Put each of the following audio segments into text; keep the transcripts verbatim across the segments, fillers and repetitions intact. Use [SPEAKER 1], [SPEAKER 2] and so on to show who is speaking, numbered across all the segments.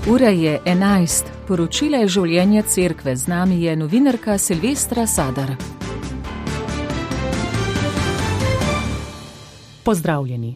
[SPEAKER 1] Ura je enajst, poročila je življenje cerkve, z nami je novinarka Silvestra Sadar.
[SPEAKER 2] Pozdravljeni.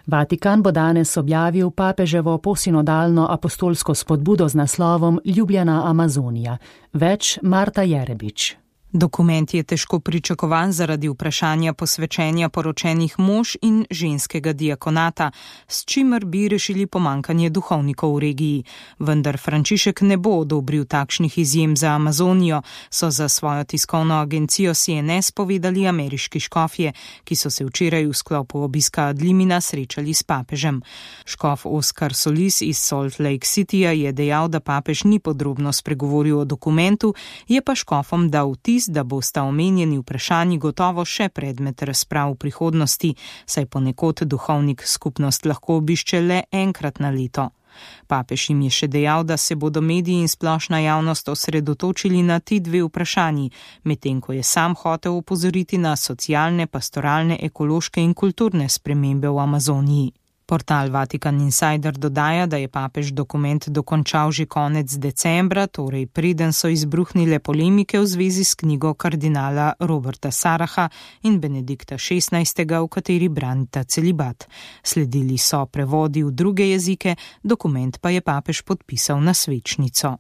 [SPEAKER 2] Vatikan bo danes objavil papeževo posinodalno apostolsko spodbudo z naslovom Ljubljena Amazonija. Več Marta Jerebič.
[SPEAKER 3] Dokument je težko pričakovan zaradi vprašanja posvečenja poročenih mož in ženskega diakonata, s čimer bi rešili pomankanje duhovnikov v regiji. Vendar Frančišek ne bo odobril takšnih izjem za Amazonijo, so za svojo tiskovno agencijo C N S povedali ameriški škofje, ki so se včeraj v sklopu obiska Adlimina srečali s papežem. Škof Oskar Solis iz Salt Lake Cityja je dejal, da papež ni podrobno spregovoril o dokumentu, je pa škofom dal vtis, da bosta omenjeni vprašanji gotovo še predmet razprav v prihodnosti, saj ponekod duhovnik skupnost lahko obišče le enkrat na leto. Papež jim je še dejal, da se bodo mediji in splošna javnost osredotočili na ti dve vprašanji, medtem ko je sam hotel opozoriti na socialne, pastoralne, ekološke in kulturne spremembe v Amazoniji. Portal Vatikan Insider dodaja, da je papež dokument dokončal že konec decembra, torej preden so izbruhnile polemike v zvezi s knjigo kardinala Roberta Saraha in Benedikta šestnajstega, v kateri branita celibat. Sledili so prevodi v druge jezike, dokument pa je papež podpisal na svečnico.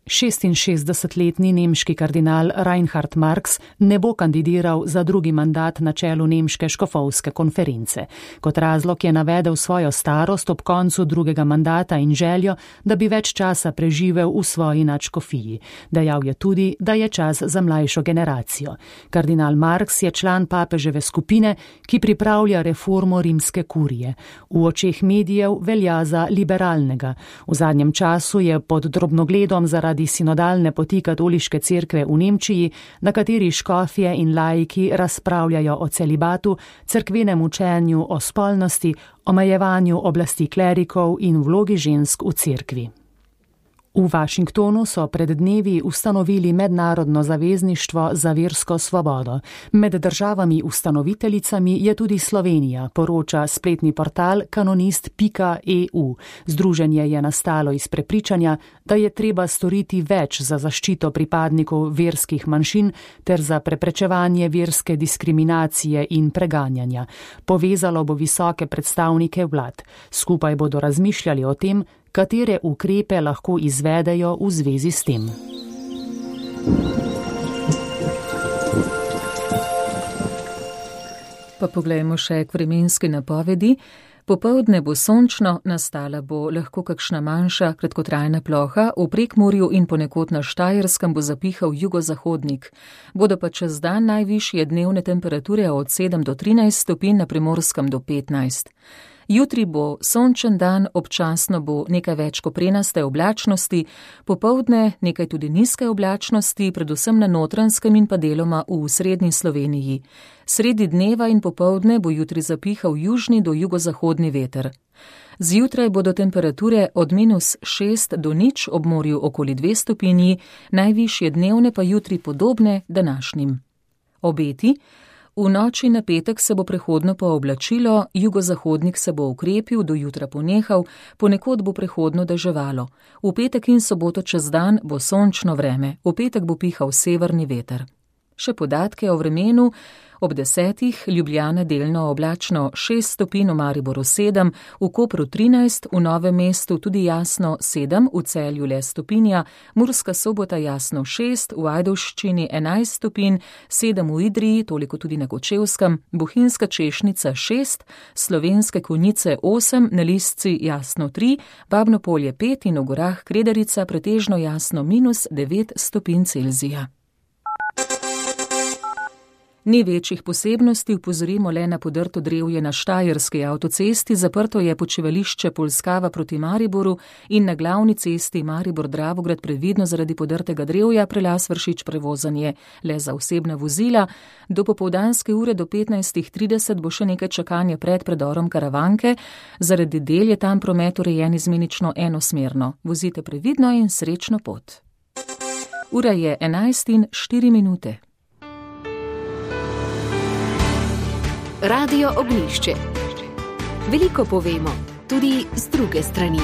[SPEAKER 2] šestinšestdesetletni nemški kardinal Reinhard Marx ne bo kandidiral za drugi mandat na čelu nemške škofovske konference. Kot razlog je navedel svojo starost ob koncu drugega mandata in željo, da bi več časa preživel v svoji nadškofiji. Dejal je tudi, da je čas za mlajšo generacijo. Kardinal Marx je član papeževe skupine, ki pripravlja reformo rimske kurije. V očeh medijev velja za liberalnega. V zadnjem času je pod drobnogledom zaradi sinodalne poti katoliške cerkve v Nemčiji, na kateri škofje in laiki razpravljajo o celibatu, cerkvenem učenju o spolnosti, omejevanju oblasti klerikov in vlogi žensk v cerkvi. V Washingtonu so pred dnevi ustanovili mednarodno zavezništvo za versko svobodo. Med državami ustanoviteljicami je tudi Slovenija, poroča spletni portal kanonist pika e u. Združenje je nastalo iz prepričanja, da je treba storiti več za zaščito pripadnikov verskih manjšin ter za preprečevanje verske diskriminacije in preganjanja. Povezalo bo visoke predstavnike vlad. Skupaj bodo razmišljali o tem, katere ukrepe lahko izvedejo v zvezi s tem.
[SPEAKER 1] Pa poglejmo še k vremenski napovedi. Popoldne bo sončno, nastala bo lahko kakšna manjša kratkotrajna ploha, v Prekmurju in ponekod na Štajerskem bo zapihal jugozahodnik. Bodo pa čez dan najvišje dnevne temperature od sedem do trinajst stopinj, na Primorskem do petnajst. Jutri bo sončen dan, občasno bo nekaj več koprenaste oblačnosti, popoldne nekaj tudi nizke oblačnosti, predvsem na Notranjskem in pa deloma v srednji Sloveniji. Sredi dneva in popoldne bo jutri zapihal južni do jugozahodni veter. Zjutraj bodo temperature od minus šest do nič, ob morju okoli dve stopinji, najvišje dnevne pa jutri podobne današnjim. Obeti. V noči na petek se bo prehodno pooblačilo, jugozahodnik se bo ukrepil, do jutra ponehal, ponekod bo prehodno deževalo. V petek in soboto čez dan bo sončno vreme, v petek bo pihal severni veter. Še podatke o vremenu. Ob desetih Ljubljana delno oblačno šest stopinj, v Mariboru sedem, v Kopru trinajst, v Novem mestu tudi jasno sedem, v Celju le stopinja, Murska Sobota jasno šest, v Ajdovščini enajst stopinj, sedem v Idriji, toliko tudi na Kočevskem, Bohinjska Češnica šest, Slovenske Konjice osem, na Lisci jasno tri, Babno Polje pet in v gorah Kredarica pretežno jasno minus devet stopinj Celzija. Ni večjih posebnosti, upozorimo le na podrto drevje na Štajerski avtocesti, zaprto je počivališče Polskava proti Mariboru in na glavni cesti Maribor-Dravograd previdno zaradi podrtega drevja prelaz Vršič prevozanje le za osebna vozila. Do popoldanske ure do petnajst trideset bo še nekaj čakanja pred predorom Karavanke, zaradi del je tam promet urejen izmenično enosmerno. Vozite previdno in srečno pot. Ura je enajst in štiri minute.
[SPEAKER 4] Radio Ognjišče. Veliko povemo, tudi z druge strani.